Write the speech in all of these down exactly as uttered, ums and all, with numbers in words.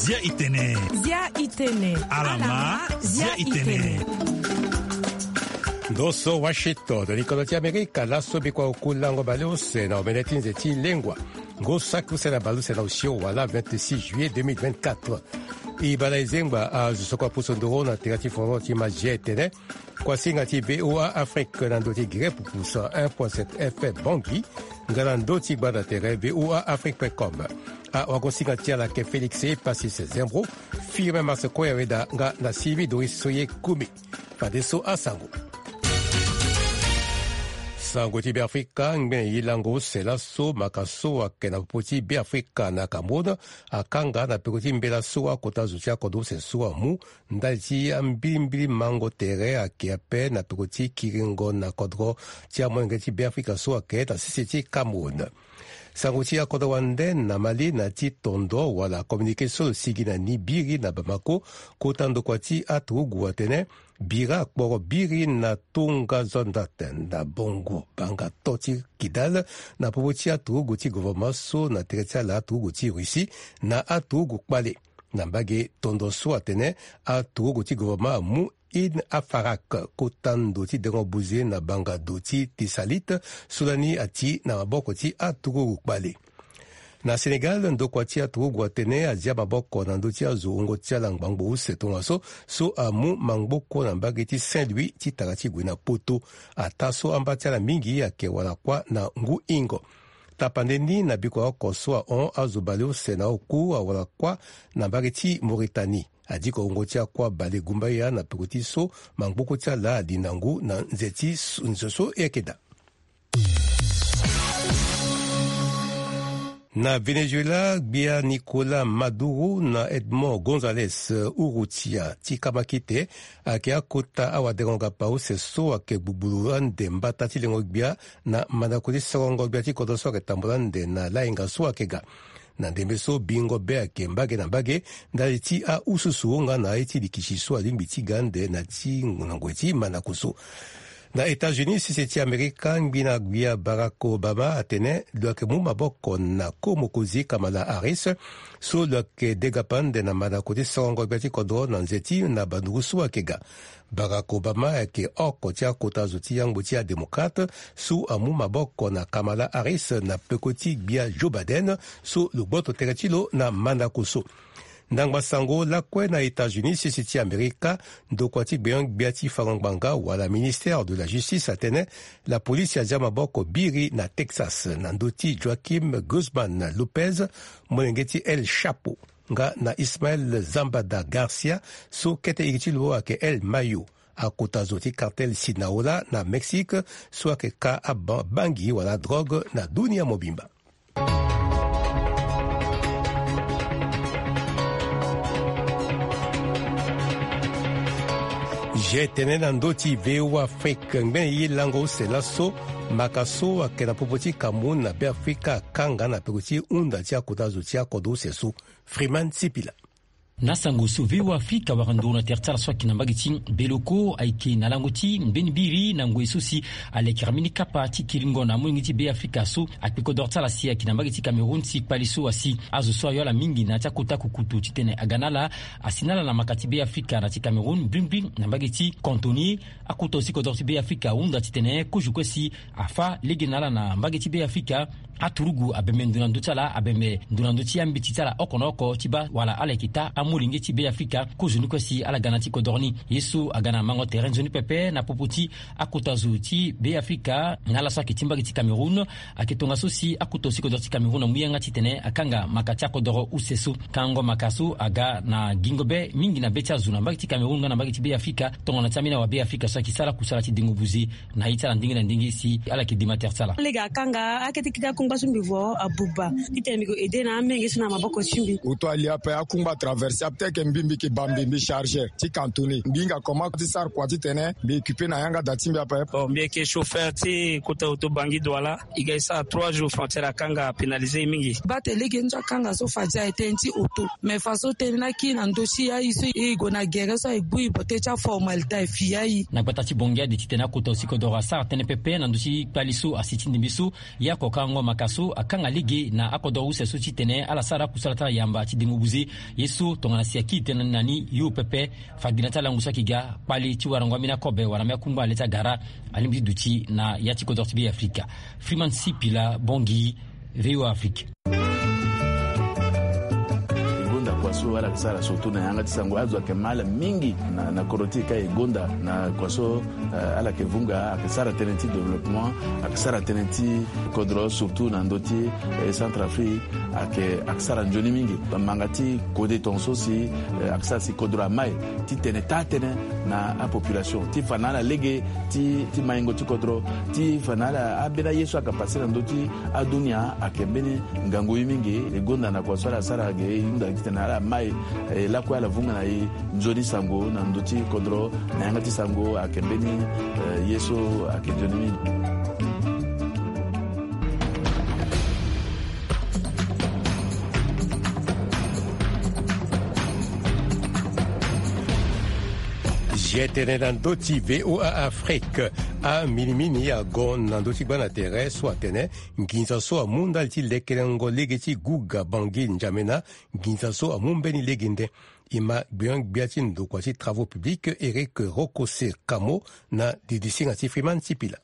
Zia itene. Zia itene. Alama, zia itene. Ndo so Washington, likodo ti Amerika, laso bikua oku lango baleuse na omene ti nze ti lengua. Ngu saki use na baleuse na osio wala vingt-six juillet deux mille vingt-quatre. E bala e zengba azo so kua pusu nduru na tere ti foro ti ma zia itene. Kuasinga ti V O A Afrique na ndo ti gere pupu cent un point sept F M Bangui, nga na ndo ti gbanda tere V O A Afrique point com. Awagosinga ti ala ayeke Félix Passis Zembro, Firmin Marseco Yaweda nga na Sylvie Doris Soye Kumi. Fadeso asango. Sango ti Beafrika, ngbene ye lango use laso, maka so ayeke na popo ti Beafrika na Cameroun akanga na peko ti mbela so akota zo ti akodro use so amu ndali ti ambilimbili mango tere ayeke ape na peko ti kiringo na kodro ti amolenge ti Beafrika so ayeke na sese ti Cameroun. Sango ti akodro wande na Mali na ti tondo wala communiqué so lo sigi na ni biri na Bamako, kota ndokua ti aturugu atene bira akporo biri na tonga zonda tene na bongo banga to ti Kidal na popo ti aturugu ti gouvernement so na tere ti ala aturugu ti Russie na aturugu kpale. Na mbage tondo so atene aturugu ti gouvernement amu Ain Afarak, kota ndo ti dengo buze na banga do ti Tisalit, so lani ati na maboko ti aturugu kpale. Na Sénégal, ndokua ti aturugu atene azia maboko na ndö ti azo wungo ti ala ngbangbo use tongaso, so amu mangboko na mbage ti Saint-Louis ti tara ti gue na Poto. Ataa so amba ti ala mingi ayeke wala kuâ na ngu hingo. Tapande ni na bikua oko so ahon azo baleuse na oku awala kuâ na mbage ti Mauritanie. Adiko wungo ti akuâ bale gumbaya na peko ti so mangboko ti ala ali na ngu na nze ti s-, nze so e yeke daa. Na Venezuela, gbia Nicolas Maduro na Edmond Gonzalez Urrutia ti kamakite ayeke akota awadengo-gapa use so ayeke gbugbulu ande mbata ti lengo-gbia na mandako ti sorongo-gbia ti kodro so ayeke tambula ande na lahinga so ayeke ga. Na ndembe so bingo be ayeke mbage na mbage ndali ti aususu nga na aye ti likisi so alingbi ti ga ande na ti na ngoi ti mandako so. Na États-Unis, sese ti Amerika, ngbina gbia Barack Obama atene lo yeke mu maboko na ko mokonzi Kamala Harris, so lo yeke degapa ande na mandako ti sorongo gbia ti kodro na nze ti na banduru so ayeke ga. Barack Obama ayeke oko ti akota zo ti yangbo ti adémocrate so amu maboko na Kamala Harris na peko ti gbia Joe Biden, so lo gboto tere ti lo na mandako so. Ndangba sango lakue na États-Unis, sese ti Amerika, ndokua ti gbenyo-gbia ti fango ngbanga wala ministère de la justice atene lapolisi azia maboko biri na Texas na ndö ti Joaquim Guzman Lopez, molenge ti El Chapo, nga na Ismael Zambada Garcia, so kete iri ti lo ayeke El Mayo, akota zo ti cartel Sinaloa na Mexique, so ayeke ka aba-, bangi wala drogue na dunia mobimba. Zia tene na ndö ti V O A Afrique, ngbene ye lango use laso, maka so ayeke na popo ti Cameroun na Beafrika akanga na peko ti hunda ti akota zo ti akodro use so. Freeman Sipila. Na sango so V O A Afrika awara nduru na tere ti ala so ayeke na mbage ti Beloko ayeke na lango ti mbeni biri na ngoi so si alekere mbeni kapa ti kiringo na amolenge ti Beafrika so akpe kodoro ti ala si ayeke na mbage ti Cameroun si kpale so asi azo so ayo ala mingi na ya ti akota kukutu titene aga na ala asi na ala na maka ti Beafrika na ti Cameroun mbrimbri na mbage ti Cotonou. Akota zo ti kodoro ti Beafrika ahunda titene kozo kue si afâ lege na ala na mbage ti Beafrika. Aturugu abembe ndo na ndö ti ala, abembe ndo na ndö ti ambeti ti ala oko na oko ti baa wala ala yeke taa amolenge ti Beafrika. Kozo ni kue si ala ga na ti kodoro ni. Ye so aga na mango tere nzoni pepe na popo ti akota zo ti Beafrika na ala so ayeke ti mbage ti Cameroun. Ayeke tongaso si akota zo ti kodoro ti Cameroun amu yanga titene akanga maka ti akodoro use so. Kango maka so aga na gingo be mingi na be ti azo na mbage ti Cameroun nga na mbage ti Beafrika. Tongana ti ambeni awa Beafrika so ayeke sara kusala ti dengo buze na ye ti ala ndenge na ndenge si ala yeke dema tere ti ala. Lege akanga akete kiti ako Kungba so mbi vo abuba titene mbi ko aide na amenge so na maboko ti mbi. Oto ali ape akungba traverse ape teke mbi mbi ke ba mbi mbi chargeur ti cantonné mbi hinga comment ti sara kua titene mbi équipe na yanga da ti mbi ape. Bon, mbi yeke chauffeur ti kota oto Bangui Douala. E ga e sara trois jours frontière akanga, apénalisé e mingi. Bate lege ni so akanga so fa dia e tënë ti oto. Mais fa so tënë ni akiri na ndö ti aye so e gue na gere so aye gbu e bote ti aformalité aye fi aye. Na gbata ti Bangui ade titene akota aussi kodoro asara tënë pepe na ndö ti kpali so asi ti ndembe so. Ya kokango maka so akanga lege na akodoro use so titene ala sara akusala ti ala yamba ti dengo buze. Ye so tongana si akiri tënë na ni yo pepe. Fa gi na ti alangu so ayeke ga kpali ti warango ambeni akobe wala ambeni akungba na le ti agara. Alingbi ti duti na ya ti kodro ti Be Afrika. Freeman Sipila, Bangui, V O A Afrique. E gonda kua so ala yeke sara surtout na yanga ti sango azo ayeke ma ala mingi na, na kodro ti e ka e gonda na kua so, eh, ala yeke vunga ayeke sara tënë ti développement, ayeke sara tënë ti kodro surtout na ndö ti, eh, Centrafrique. Ayeke, ayeke sara nzoni mingi. Manga ti kode tongaso si, eh, ayeke sara si kodro amai titene taa tënë na apopulation ti fa na ala lege ti, ti maingo ti kodro ti fa na ala ambeni aye so ayeke pase na ndö ti adunia ayeke mbeni ngangu ye mingi. E gonda na kua so ala sara ge e hunda titene ala mai, eh, lakue ala vunga na e nzoni sango na ndö ti kodro na yanga ti sango ayeke mbeni, eh, ye so ayeke nzoni mingi. Zi tene na ndö ti V O A Afrique. Aminimini ago na ndö ti gba na tere so atene nginza so amu ndali ti lekerengo lege ti guga Bangui N'Djamena, nginza so amu mbeni lege nde. E ma gbion-gbia ti ndokua ti travaux publics Eric Rokose Kamo na didisinga ti Freeman Sipila.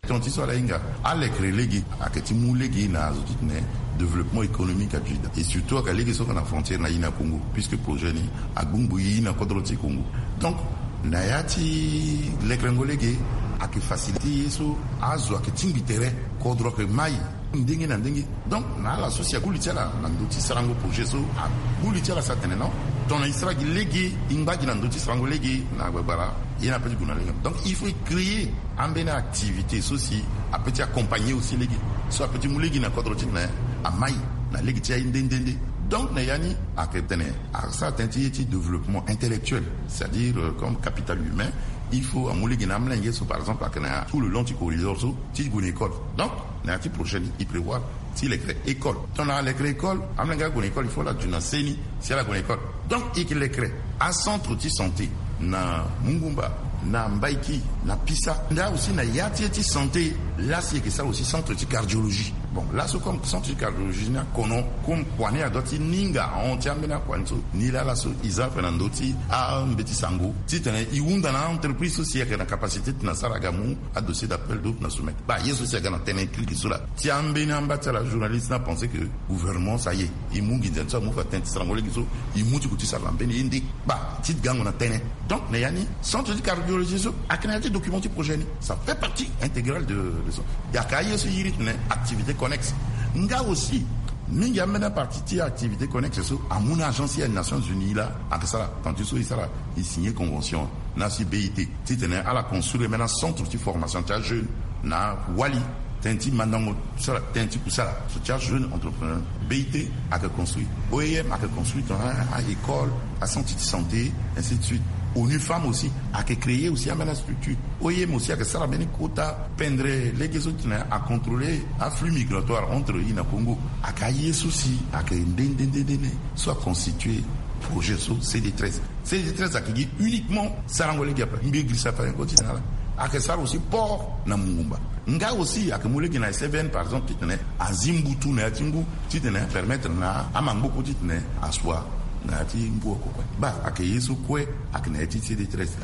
Tongaso ala hinga alekere lege ayeke ti mu lege na azo titene développement économique aduti daa. Et surtout ayeke lege so ayeke na frontière na Yina Congo, puisque projet ni agbongbo ye na kodro ti Congo. Donc na ya ti lekerengo lege ayeke facilité ye so azo ayeke tingbi tere, kodro ayeke mai ndenge na ndenge. Donc na ala so si agbu li ti ala na ndö ti sarango projet so, agbu li ti ala si atene non, tongana e sara gi lege, e ngba gi na ndö ti sarango lege na gbagbara, ye ni ape ti gue na lege. Donc il faut e créer ambeni activité so si ape ti accompagner aussi lege, so ape ti mu lege na kodro titene amai na lege ti aye nde nde nde. Donc na ya ni ayeke tene asara tënë ti ye ti développement intellectuel, c'est-à-dire, euh, comme capital humain. Il faut amu lege na amolenge so par exemple ayeke na tout le long ti corridor so ti gue na école. Donc na ya ti prochaine e prévoir ti lekere école. Tongana alekere école, amolenge ague na école, il faut ala duti na seni si ala gue na école. Donc e yeke lekere acentre ti santé na Mungumba, na Mbaiki, na Pisa. Nda aussi na ya ti ye ti santé, laa si e yeke sara aussi centre ti cardiologie. Bon, laso comme centre ti cardiologie ni akono, comme kua ni adoit ti ninga ahon ti ambeni akua ni so, ni laa laso e za ape na ndö ti ambeti sango titene e hunda na a-entreprise so si ayeke na capacité titene asara aga mu adossier d'appel d'offre na soumettre. Baa ye so si aga na tënë kirikiri so laa. Ti ambeni amba ti ala journaliste ni apenser que gouvernement ça y est, e mu nginza ni so amu fa tënë ti sarango lege so, e mu ti gue ti sara na mbeni ye nde. Baa ti gango na tënë. Donc na ya ni centre ti cardiologie so ayeke na ya ti document ti projet ni, ça fait partie intégrale de, de son. Ayeke aye so e iri titene activité connexe. Nga aussi mingi ambeni apartie ti activité connexe so amu na agence ya Nations Unies laa ayeke sara. Tongana ti so e sara, e signer convention na si B I T titene ala construire mbeni acentre ti formation ti ajeune na Wali. Tënë ti mandango sara, tënë ti kusala so ti ajeune entrepreneur. B I T ayeke construire, O I M ayeke construire tongana a-école, acentre ti santé, ainsi de suite. ONU Femmes aussi ayeke créer aussi ambeni astructure. O I M aussi ayeke sara mbeni kota pendre lege so titene acontrôler aflux migratoire entre Yina Congo. Ayeke aye so si ayeke nde nde nde nde so aconstituer projet so C D treize. C D treize ayeke gi uniquement sarango lege ape. Mbi girisa fa ni kue titene ala ayeke sara aussi port na Mungumba. Nga aussi ayeke mu lege na S F N par exemple titene azi mbutu na ya ti ngu titene apermettre na amangboko titene asua na ya ti ngu oko kue. Baa ayeke ye so kue ayeke na ya ti C D treize.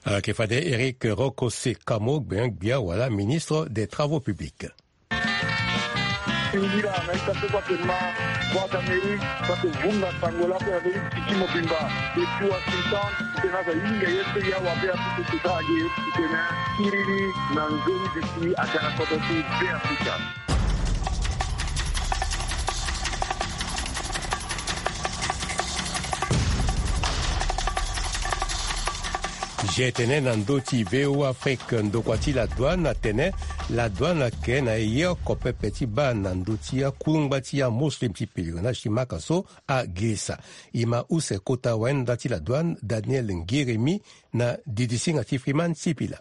Ayeke fade Eric Rokose Kamo, gbia gbia wala ministre des travaux publics. Singila na ita so kue atene ma Voix d'Amérique, so ake vunga sango laa mpe na ndö ti tiki mobimba depuis Washington. Titene aza hinga ye so ya wabe apupu kota age titene akiri ni na nzoni duti aga na kodro ti Be Afrika. Ge tene na ndö ti V O A Afrique, ndokua ti la douane atene la douane ayeke na ye oko pepe ti baa na ndö ti akungba ti amuslim ti pèlerinage ti Maka so agirisa. E ma use kota wayenda ti la douane Daniel Ngiremi na didisinga ti Freeman Sipila.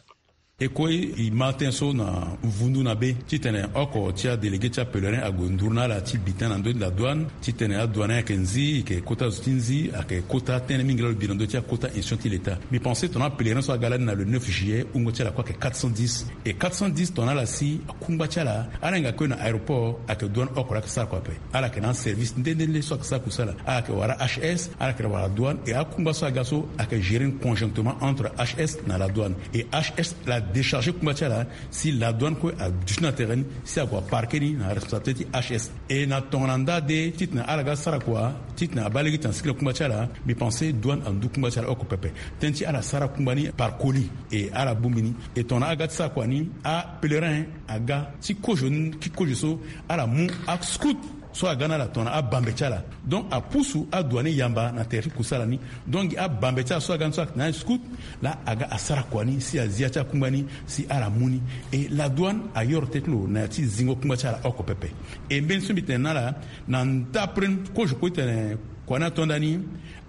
E kue e ma tënë so na vundu na be titene oko ti adélégué ti apèlerin ague nduru na ala ti bi tënë na ndö ti la douane titene adouane ayeke nzi, e yeke kota zo ti nzi, ayeke kota tënë mingi laa lo bi na ndö ti akota institution ti leta. Mbi pense tongana apèlerin so aga lani na le neuf juillet, wungo ti ala kue ayeke quatre cent dix. E quatre cent dix tongana ala si akungba ti ala, ala hinga kue na aéroport, ayeke douane oko laa ayeke sara kua ape. Ala yeke na aservice nde nde nde so ayeke sara kusala. Ala yeke wara H S, ala yeke wara douane, e akungba so aga so ayeke gérer ni conjonctement entre H S na la douane. E H S la décharger kungba ti ala, si la douane kue aduti na tere ni, si ague aparquer ni na responsabilité ti H S. E na tongana nda de titene ala ga sara kua, titene abaa lege titene asiki na kungba ti ala, mbi pense douane andu kungba ti ala oko pepe. Tënë ti ala sara kungba ni par colis, e ala bongbi ni. E tongana aga ti sara kua ni, apèlerin aga ti kozo ni, ti kozo so, ala mu ascout so aga na ala tongana abambe ti ala. Donc apusu adouane yamba na tere ti kusala ni. Donc abambe ti ala so aga ni so ayeke na ascout, laa aga asara kua ni si azi ya ti akungba ni si ala mu ni. E la douane ayoro teti lo na ya ti zingo kungba ti ala oko pepe. E mbeni so mbi tene na ala, na ndapre kozo kue titene kua ni ato ndani,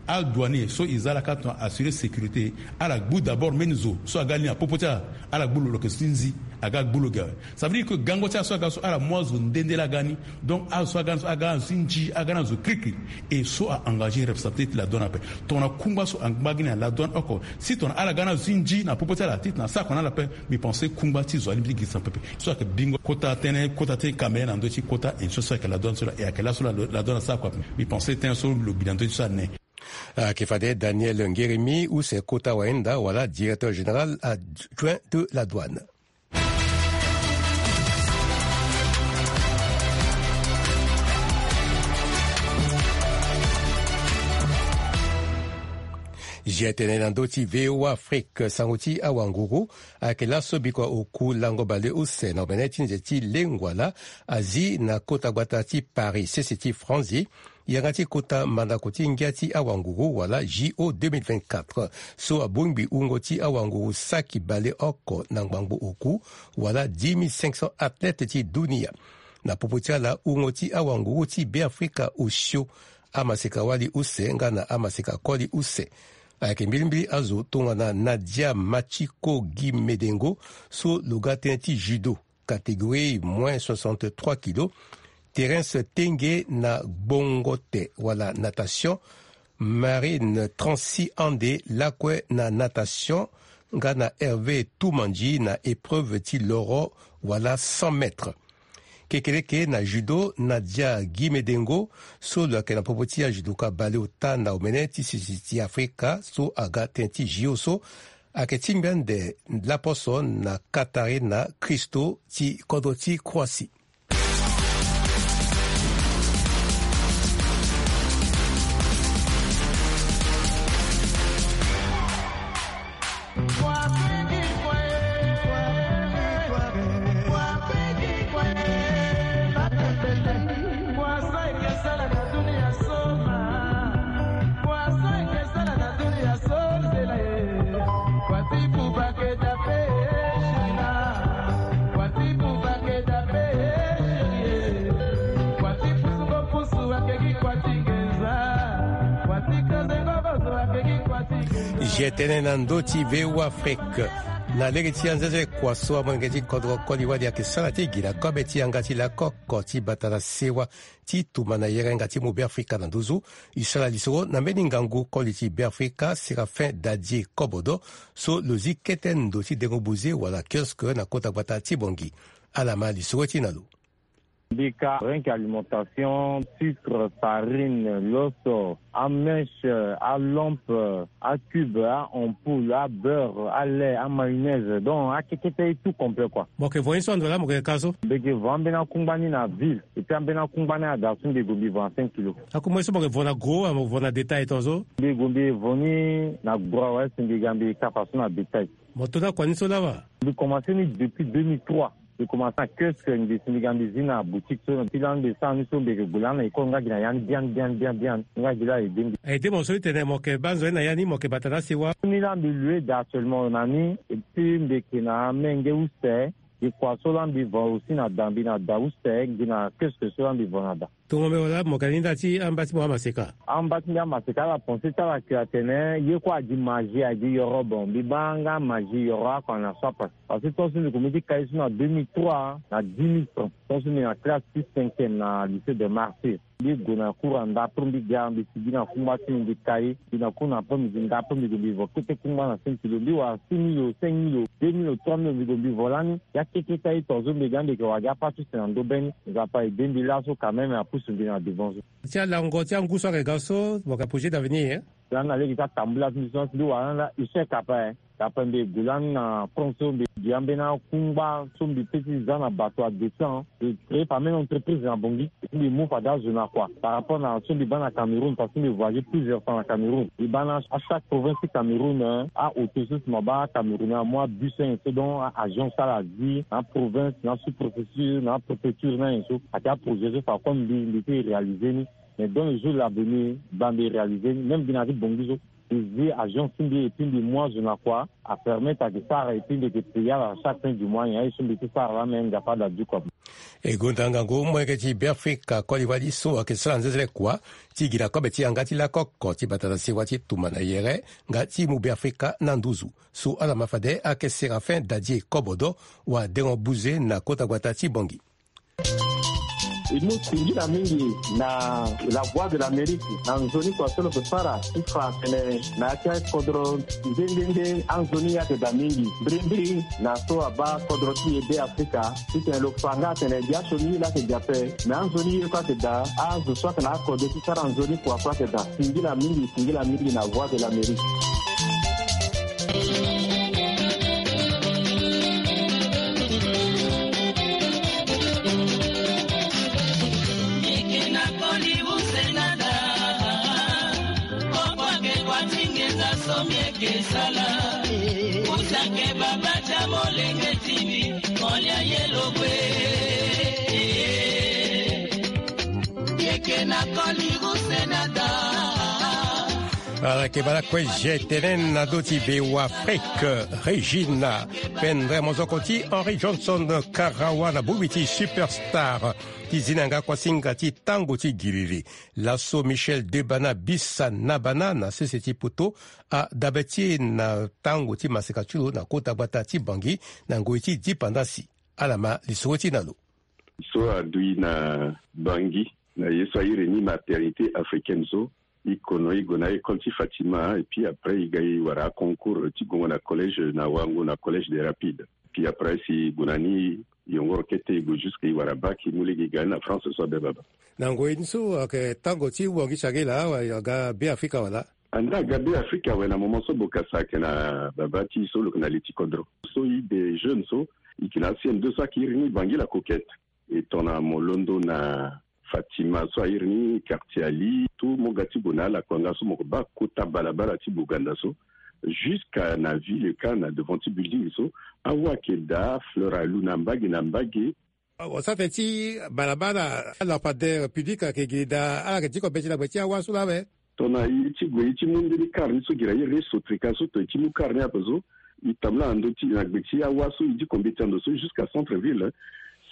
adouanier so e za ala ka tongana assurer sécurité, ala gbu d'abord mbeni zo so aga li na popo ti ala, ala gbu lo, lo yeke zo ti nzi, aga gbu lo ge awe. Ça veut dire que gango ti ala so aga so ala mu azo nde nde laa aga ni. Donc azo so aga ni so aga na zo ti nzi, aga na zo kirikiri. E so a engager responsabilité ti la douane ape. Tongana kungba so angba gi na la douane oko, si tongana ala ga na zo ti nzi na popo ti ala titene asara kua na ala ape, mbi pense kungba ti zo alingbi ti girisa pepe. So ayeke bingo kota tënë, kota ti kambe na ndö ti kota institution so ayeke la douane so laa, e ayeke laso la, la douane asara kua ape. Mbi pense tënë so lo bi na ndö ti so ane. Ayeke fade Daniel Ngiremi, use kota wayenda wala directeur général adjoint de la douane. Ge tene na ndö ti V O A Afrique, sango ti awanguru ayeke laso bikua oku lango baleuse na omene ti nze ti lengua laa azi na kota gbata ti Paris, sese ti Franzi, yanga ti kota mandako ti ngia ti awanguru wala J O deux mille vingt-quatre, so abongbi wungo ti awanguru saki baleoko na ngbangbo oku, wala dix mille cinq cents athlètes ti dunia. Na popo ti ala, wungo ti awanguru ti Beafrika osio amaseka-wali use nga na amaseka-koli use. Ayeke mbilimbili azo tongana Nadia Machiko Gimedengo, so lo ga tënë ti judo, catégorie moins soixante-trois kilos, Terence Tenge na gbongo te wala natation, Marine Transi Ande lakue na natation, nga na Hervé Toumandji na épreuve ti loro wala cent mètres. Kekeleke na judo, Nadia Gimedengo, so lo yeke na popo ti ajudoka baleota na omene ti sese ti Afrika so aga tënë ti J O so, ayeke tingbi ande laposo na Katarina Christo ti kodro ti Croatie. Ge tene na ndö ti V O A Afrique. Na lege ti anzenze kua so amolenge ti kodro koli wali ayeke sara ti gi na kobe ti yanga ti lakoko ti bata na sewa ti tumba na yerenga ti mu Beafrika na nduzu. E sara lisoro na mbeni ngangu koli ti Beafrika, Séraphin Dadie Kobodo, so lo zi kete ndo ti dengo buze wala kiosque na kota gbata ti Bangui. Ala ma lisoro ti na lo. Mbika, rien que alimentation, sucre, farine, loso, amèche, alampe, acube, aampoule, abeurre, alait, amayonnaise. Donc akekete, tout complet quoi. Mo yeke vo ye so ando laa mo yeke ka so? Mbi yeke vo ambeni akungba ni na ville. Et puis ambeni akungba ni ada so mbi gue mbi vo na cinq kilos. Akungba ye so mo yeke vo na gros, mo vo na détail tongaso? Mbi gue mbi vo ni na gros awe, si mbi ga mbi kapa so na bétail. Mo to ni akua ni so laa wa? Mbi commencé ni depuis deux mille trois. Mbi komanse na kiosque, mbi si mbi ga mbi zi na boutique so ti lani mbi sara ni so mbi yeke gue lani na école nga gi na ya ni biani biani biani biani nga gi laa aide mbi. Aide mo so ti tene mo yeke baa nzoni na ya ni mo yeke bata na asi wa. Ni laa mbi lue daa actuellement na ni. Epui mbi yeke na amenge use. Gi kua so laa mbi vo aussi na da mbi na da use gi na kiosque so laa mbi vo na da. Tongo mbi wala mo yeke na ni nda ti amba ti mo amaseka. Amba ti mbi amaseka ala pense ti ala ke atene ye kue agi magie agi yoro bon mbi baa nga magie yoro akua na so ape. Parce que tant so mbi komi ti kai so na deux mille trois na dix mille francs tant so mbi na classe ti cinquième na lycée de martyr. Mbi gue na cour anda après mbi ga mbi sigi na kungba ti mbi mbi kai mbi na cour na après midi nda après mbi gue mbi vo kete kungba na sentilo mbi wara six mille o cinq mille o deux mille o trois mille o mbi gue mbi vo lani. Ya keke ti aye tongaso mbi ga mbi yeke wara gi apa ti use na ndo be ni. Nzapa aide mbi laso quand même apusu mbi na devant so. Ti alango ti angu so ayeke ga so mo yeke projet d'avenir. Lani na lege ti atambula ti mbi so mbi wara lani la échec ape. Ape mbi gue lani na France so mbi gi ambeni akungba so mbi pe ti za na bato adescend. Mbi créer pa même entreprise na bongi. Mbi mu fade azo na kua par rapport na so mbi baa na Cameroun parce que mbi voyager plusieurs fois na Cameroun. Mbi baa na achaque province ti Cameroun. Aauto so si mo baa Cameroun amu abus so nyen so donc aagence ala zi na aprovince na asous-préfecture na apréfecture na nyen so. Ayeke aprojet so fa comme mbi mbi ti réaliser ni. Mais dans le jour l'avenir baa mbi réaliser ni même mbi na ya ti bongi so. Mbi zi agence ti mbi epui mbi mu azo na kua. Apermettre ayeke sara epui mbi yeke payer ala chaque fin du mois nyen aye so mbi ti sara laa me nzapa ada du kua. E gonda ngangu molenge ti Beafrika koli wali so ayeke sara nzenzele kua ti gi na kobe ti yanga ti lakoko ti bata na sewa ti tuma na yere nga ti mu Beafrika na nduzu. So ala ma fade ayeke Séraphin Dadie Kobodo wadengo buze na kota gbata ti Bangui. E mu singila mingi na La Voix de l'Amérique na nzoni kua so lo yeke sara ti fa atene na ya ti akodro nde nde nde anzoni ye ayeke daa mingi mbirimbiri na so abaa kodro ti e Beafrika. Titene lo fa nga atene gi asioni ye laa ayeke gi ape. Me anzoni ye kue ayeke daa azo so ayeke na akodro ti sara nzoni kua kue ayeke daa. Singila mingi singila mingi na Voix de l'Amérique. Ala yeke bala kue je tene na do ti V O A Afrique. Regina Pendremozoko ti Henry Johnson Karawa na bongbi ti Superstar ti zi na yanga kuasinga ti tango ti giriri. Laso Michel Debana Bisa Nabana na sese ti poto adabe ti e na tango ti maseka ti lo na kota gbata ti Bangui na ngoi ti dipandasi. Ala ma lisoro ti e na lo. So adui na Bangui na ye so a iri ni maternité africaine so. I kono i gue na école ti Fatima et puis après i ga i wara concours ti gongo na collège na Wango na collège des Rapides. Puis après si i gue na ni i yongoro kete i gue jusque i wara bac i mu lege i ga ni na France so abe baba. Na ngoi ni so ayeke tango ti wangi sangela awa i aga Be Afrika wala? Anda aga Be Afrika awe na moment so bokasa ayeke na baba ti i so lo yeke na li ti kodro so i de jeune so i yeke na C M deux so ayeke iri ni Bangui la Coquette. E tongana mo londo na Fatima so a iri ni quartier Ali tout mo ga ti gue na ala kua nga so mo yeke baa kota balabala ti Boganda so jusqu'à na ville ka na devant ti building so. Awa ayeke daa fleur alu na mbage na mbage. Wa sara tënë ti balabala lampadaire public ayeke gi daa ala yeke diko mbeti na gbe ti awa so laa awe. Tongana i ti gue i ti mu mbeni kar ni so gi na i re sotrika so tongana i ti mu kar ni ape so i tambula na ndö ti na gbe ti awa so i diko mbeti na ndo so jusqu'à centre ville.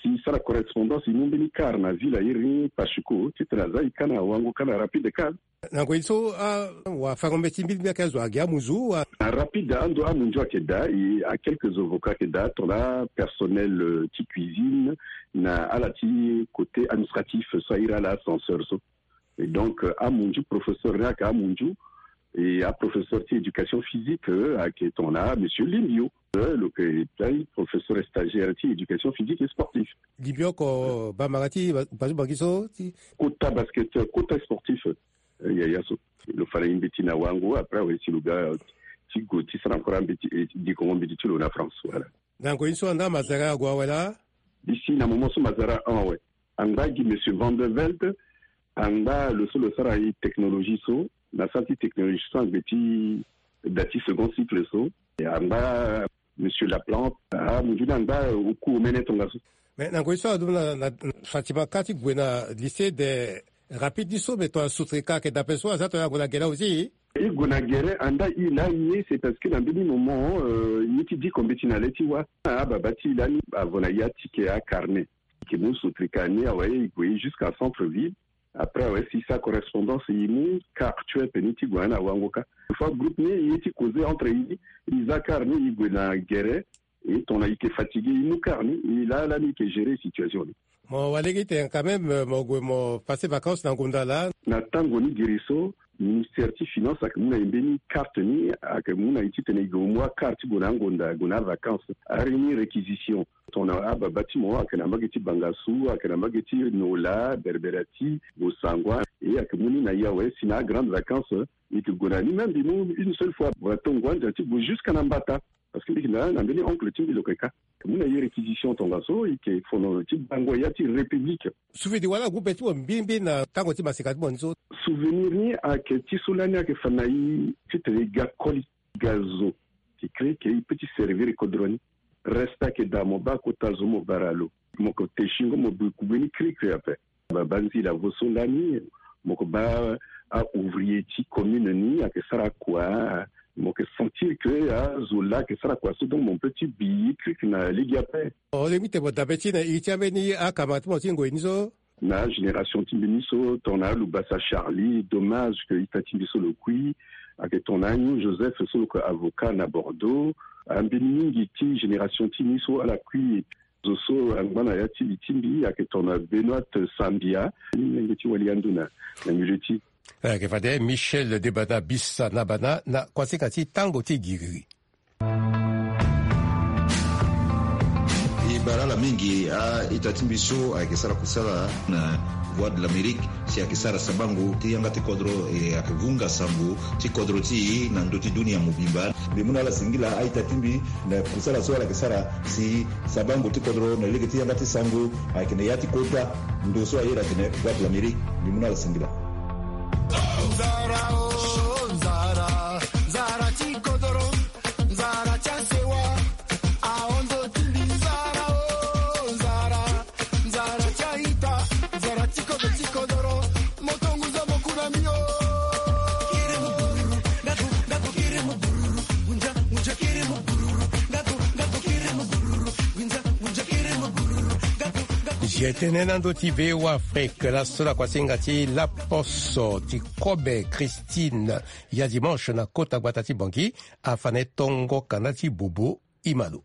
Si i sara correspondance i mu mbeni kar na ville a iri ni Pachuco titene aza i ka na Wango ka na Rapide ka. Na ngoi so awafango mbeti mbili mbi ayeke azo agi amunzu wa. Na Rapide ando amunzu ayeke daa e a quelques avocats ayeke daa tongana personnel ti cuisine na ala ti côté administratif so a iri ala ascenseur so. Et donc amunzu professeur ni ayeke amunzu e aprofesseur ti éducation physique ayeke tongana monsieur Limbio. Lo yeke pai professeur stagiaire ti éducation physique et sportif. Limbio oko bambara ti basu bangi so ti kota basket kota sportif. Yaya so lo fa na i mbeti na Wango après awe si lo ga ti gue ti sara encore ambeti dikongo mbeti ti lo na France voilà. Na ngoi so anda mazara ague awe laa? Bisi na moment so mazara en awe. Angba gi monsieur Van der Velde. Angba lo so lo sara i technologie so na sara ti technologie so angbe ti da ti second cycle so. Angba Monsieur Laplante, ah, mundu ni angba oku omene tongaso. Mais na ngoi so adumu na, na, na Fatima ka ti gue na lycée de rapide ni so, mais tongana soutrika ayeke dape so aza tongana ague na gere aussi. E gue na gere anda e laa ye, c'est parce que na mbeni moment, euh, ye ti diko mbeti na le ti wâ. Ah, baba ti e lani avo na ye atike acarnet. Eke mu soutrika ni awe, e gue jusqu'à centre ville. Après awe si sa correspondance e mu car tu es peni ti gue na wango ka. Fois groupe ni e ti causer entre e, e za car ni e gue na gere. E tongana e ke fatigué e mu car ni, e laa lani e ke gérer situation ni. Mo wali gi tene quand même, euh, mo gue mo passer vacances na ngonda laa. Na tango ni giri so, ministère ti finance ayeke mu na e mbeni carte ni, ayeke mu na e titene e gue e mu acarte ti gue na angonda, gue na avacances. Ari ni réquisition. Tongana ababa ti mo ayeke na mbage ti Bangassou, ayeke na mbage ti Nola, Berberati, Bossangoa, e ayeke mu ni na e awe si na agrande vacances e yeke gue na ni. Même mbi mu une seule fois, voilà, tongo andia ti gue jusqu'à na Mbata. Parce que mbi yeke na, na mbeni oncle ti mbi lo yeke ka. Mu na e réquisition tongaso, e yeke fono ti bango ya ti République. Souvenir wala groupe ti mo mbirimbiri na tango ti maseka ti mo ni so? Souvenir ni ayeke ti so lani ayeke fa na e titene e ga koli, ga zo. Ti crée que e peut ti servir kodro ni. Reste ayeke daa mo baa kota zo mo bara lo. Mo ko te singo mo bi kugbe ni krikri ape. Baba nzila vo so lani, mo ko baa a-ouvrier ti commune ni ayeke sara kua, mo yeke sentir que azo laa ayeke sara kua so, donc mo peut ti bi e krikri na lege ape. O lingbi tene mo dabe ti na iri ti ambeni akama ti mo ti ngoi ni so? Na génération ti mbi ni so, tongana alubasa Charlie, dommage que ita ti mbi so lo kui, ayeke tongana anyu Joseph so lo yeke avocat na Bordeaux, ambeni mingi ti génération ti mbi so ala kui. Zo so angba na ya ti li ti mbi ayeke tongana Benoîte Sambia, ni lenge ti wali ando na, na milieu ti. Ayeke fade Michel Debana Bisa na Bana na kuasinga ti tango ti giriri. E bara ala mingi a-ita ti mbi so ayeke sara kusala na Voix de l'Amérique. Si ayeke sara sabango ti yanga ti kodro, e ayeke vunga sango ti kodro ti e na ndö ti dunia mobimba. Mbi mu na ala singila a-ita ti mbi na kusala so ala yeke sara si sabango ti kodro na lege ti yanga ti sango ayeke na ya ti kota ndo so ayeda atene Voix de l'Amérique. Mbi mu na ala singila. Nzara, oh, nzara, nzara ti kodro. Nzara ti asewa, ahon zo ti mbi. Nzara, oh, nzara, nzara ti a-ita, nzara ti kodro ti kodoro. Mo tongo zo mo ku na mbi, oh. Kiri mo bururu, nga ku, nga ku kiri mo bururu. Ngunza, ngunza kiri mo bururu, nga ku, nga ku kiri mo bururu. Ngunza, ngunza kiri mo bururu, nga ku, nga ku. G T N na ndö ti V O A Afrique, laso na kuasinga ti laposo ti kobe Christine. Ya dimanche na kota gbata ti Bangui, afa na e tongo kanda ti bobo. Imalo.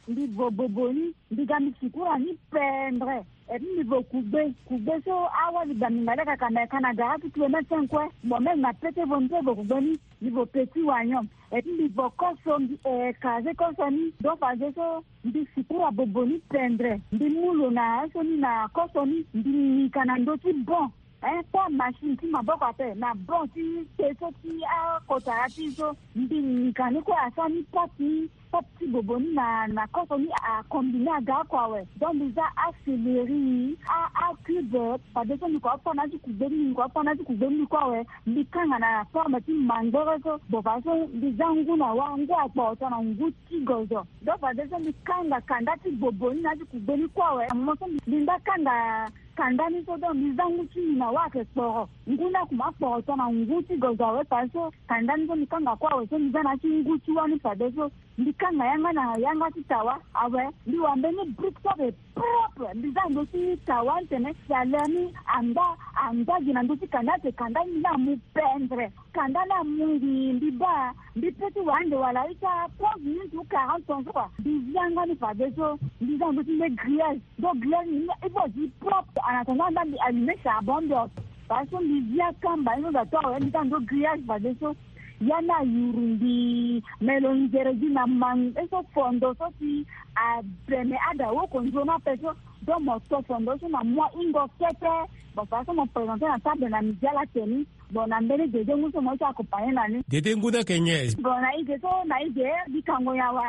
Mbi vo bobo ni, mbi ga mbi sikura ni pendre. Et puis mbi vo kugbe, kugbe so awali ba mbi nga leka ka na e ka na gara ti kilomètre cinq kue. Bon, même na pete vo mbi pe vo kugbe ni, mbi vo petit oignon. Et puis mbi vo koso, mbi, eh, kaze koso ni. Donc fadeso mbi sikura bobo ni pendre. Mbi mu lo na aye so ni na koso ni, mbi nika na ndö ti bon. Eh, kue machine ti maboko ape, na bon ti te so ti akota ya ti so, mbi nika ni kue asara ni pâte ni, pâte ti bobo ni na, na koso ni akombine aga oko awe. Donc mbi za acéleri, a, acube, fadeso mbi ko apana ti kugbe ni, mbi ko apana ti kugbe ni kue awe. Mbi kanga na forme ti mangbere so, bon fadeso mbi za ngu na wâ, ngu akporoto na ngu ti gozo. Donc fadeso mbi kanga kanda ti bobo ni na ya ti kugbe ni kue awe. Mo so mbi, mbi nda kanga kanda ni so, donc mbi za ngu ti mbi na wâ ayeke kporo. Ngu ni akuma akporoto na ngu ti gozo awe, fadeso kanda ni so mbi kanga kue awe, so mbi za na ya ti ngu ti wâ ni fadeso. Mbi kanga yanga na yanga ti tawa awe, mbi wa mbeni brique so ape propre. Mbi za ndö ti tawa ni tene chaleur ni angba, angba gi na ndö ti kanda, ate kanda ni mbi za amu pendre. Kanda ni amu ngi, mbi baa, mbi pe ti wa ande wala ita trente minutes ou quarante temps so kua. Mbi zi yanga ni fadeso, mbi za ndö ti nde grillage. Donc grillage ni, il faut zi propre. En attendant, nda mbi allumer charbon mbi oko. Fadeso mbi zi akamba ni so da to awe, mbi za ndö grillage fadeso. Ya ni ayuru mbi, me lo nzere gi na mangbe so fondo so si abene ada woko nzoni ape so. Donc mo to fondo so na mua hingo kete. Bon, fadeso mo présenter na table na midi ala teni. Bon, na mbeni dede ngu so mo ye ti accompagner na ni. Dede ngu ni ayeke nyen? Bon, na e ge so, na e ge, mbi kango nyen awe?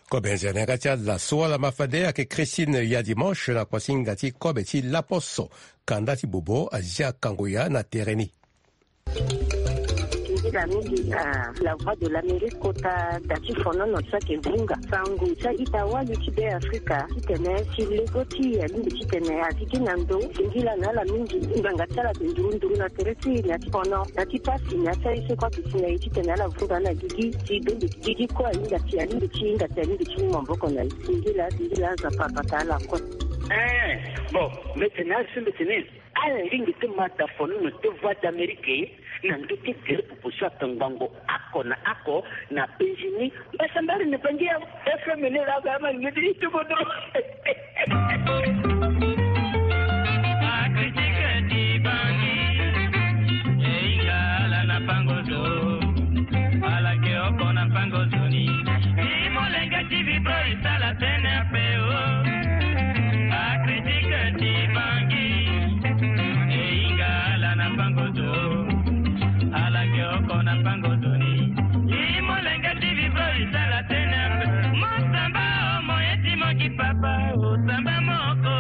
Kobe nzere na yanga ti ala so ala ma fade ayeke Christine ya dimanche na kuasinga ti kobe ti laposo. Kanda ti bobo azia kango ya na tere ni. Mingi na La Voix de l'Amérique kota da ti fonono ti ayeke vunga sango ti a-ita wali ti Be Afrika titene si lego ti e alingbi titene a gigi na ndo. Singila na ala mingi ngbanga ti ala ayeke nduru nduru na tere ti e na ti fono na ti pasi na ya ti aye so kue ayeke si na e titene ala vunga na gigi si bende gigi kue ahinga si alingbi ti hinga si alingbi ti mu maboko na e. Singila singila Nzapa abata ala kue. Eh, bon, mbeti na ala so mbeti ni. Ala lingbi ti ma da fonono ti Voix d'Amérique na ndö ti gere popo so atongbango oko na oko na penzi ni. Mbasambari na Bangi ya F M ni laa ga ama lingbi ti ti kodro. Akritike ti Bangi, e hinga ala na pango zo. Ala yeke oko na pango zo ni. Ti molenge ti vibro e sala tene ape o. Akritike ti Bangi, e hinga ala na pango zo. Ala yeke oko na pango zo ni. Ti molenge ti vibro e sala tene ape. Mo samba o mo ye ti mo ki papa o samba moko.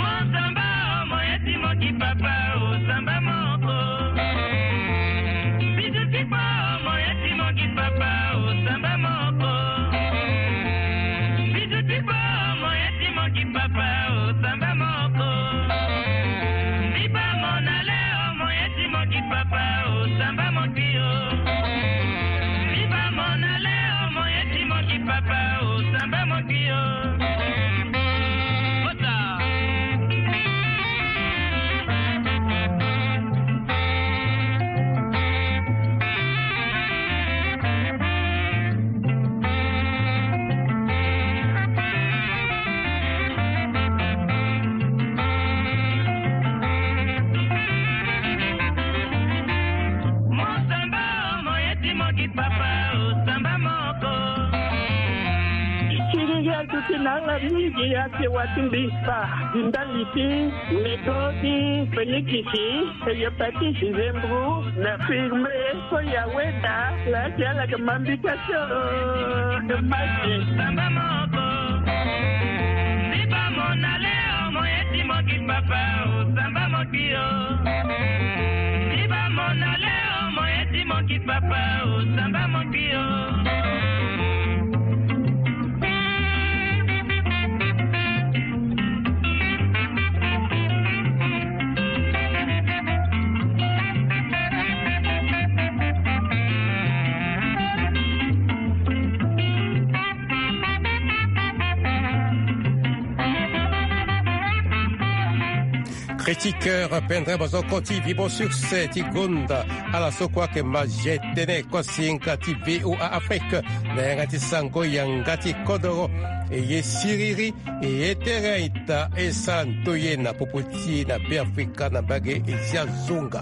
Mo samba o mo ye ti mo ki papa o samba moko. Bizu ti kpo o mo ye ti mo ki papa o samba moko. Bizu ti kpo o mo ye ti mo ki papa o samba moko. Biba mo na le o mo ye ti mo ki papa o samba mo ki o. Biba mo na le o mo ye ti mo ki papa o samba mo ki o. Kota. Mo samba o mo ye ti mo ki papa o samba moko. Siriri aduti na ala mingi ake wati mbisa di ndali ti lego ti Fenikisi, hepatite, zembu na firme so ya weda. Laa ti ala yeke ma mbika ti o e ma ti samba moko. Biba mo na le o mo ye ti mo ki papa o samba mo ki o. Biba mo na le o mo ye ti mo ki papa o samba mo ki o. Critiqueur pendere bozoko ti Vibo Succès ti gonda ala so kue ayeke ma ge tënë kosinga ti V O A Afrique na yanga ti sango yanga ti kodoro. E ye siriri e ye tere a-ita e sara ndoye na popo ti e na Be Afrika na mbage e zia zonga.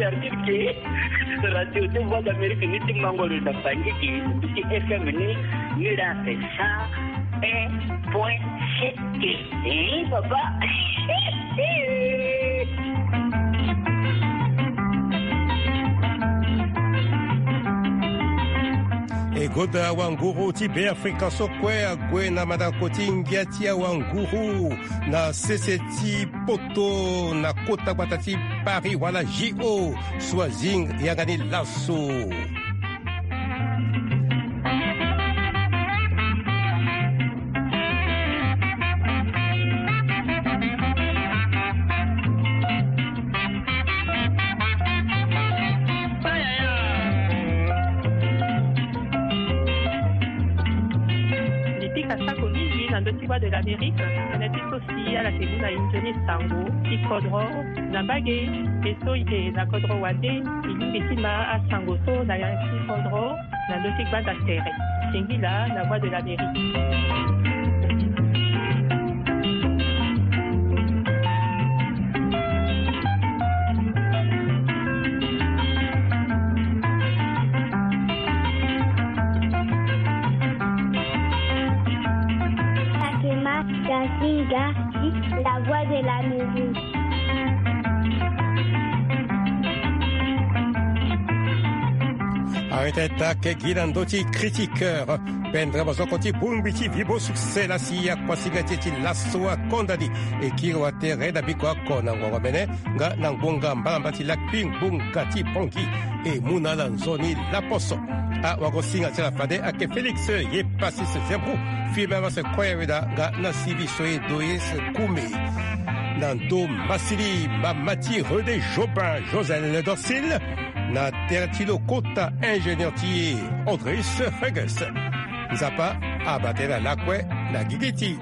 Service ke radio ti Voix d'Amérique ni ti mango lo na Bangui ke, ti F M ni, ni la fait ça. Un point sept. Eh, papa. E goda awanguru ti Be Afrika so kue ague na mandako ti ngia ti awanguru na sese ti poto na kota gbata ti Paris wala J O so azinga yanga ni laso. Mbi pika sako mingi na ndö ti Voix de l'Amérique, tënë ti so si ala yeke mu na e nzoni sango ti kodro na mbage. E so e yeke na kodro wande, e lingbi ti ma asango so na yanga ti kodro na ndö ti gbanda tere. Singila na Voix de l'Amérique. Teta ke gi na ndö ti critiqueur. Pendere mazoko ti bongbi ti vibo succès lasi akuasinga ti e ti laso akonda ni. E kiri watere na biko oko na ngongo mene nga na ngbonga mbalamba ti lakui ngbonga ti bongi. E mu na ala nzoni laposo. Awagosinga ti ala fade ake Félix ye pasis zembu. Fimbe avase koya weda nga na sivi soye doye se kume. Na ndo masili mama ti René Jobin, Josel Dorsil, na tere ti lo kota ingénieur ti e Andreus Fergus. Nzapa abate na lakue na gigi ti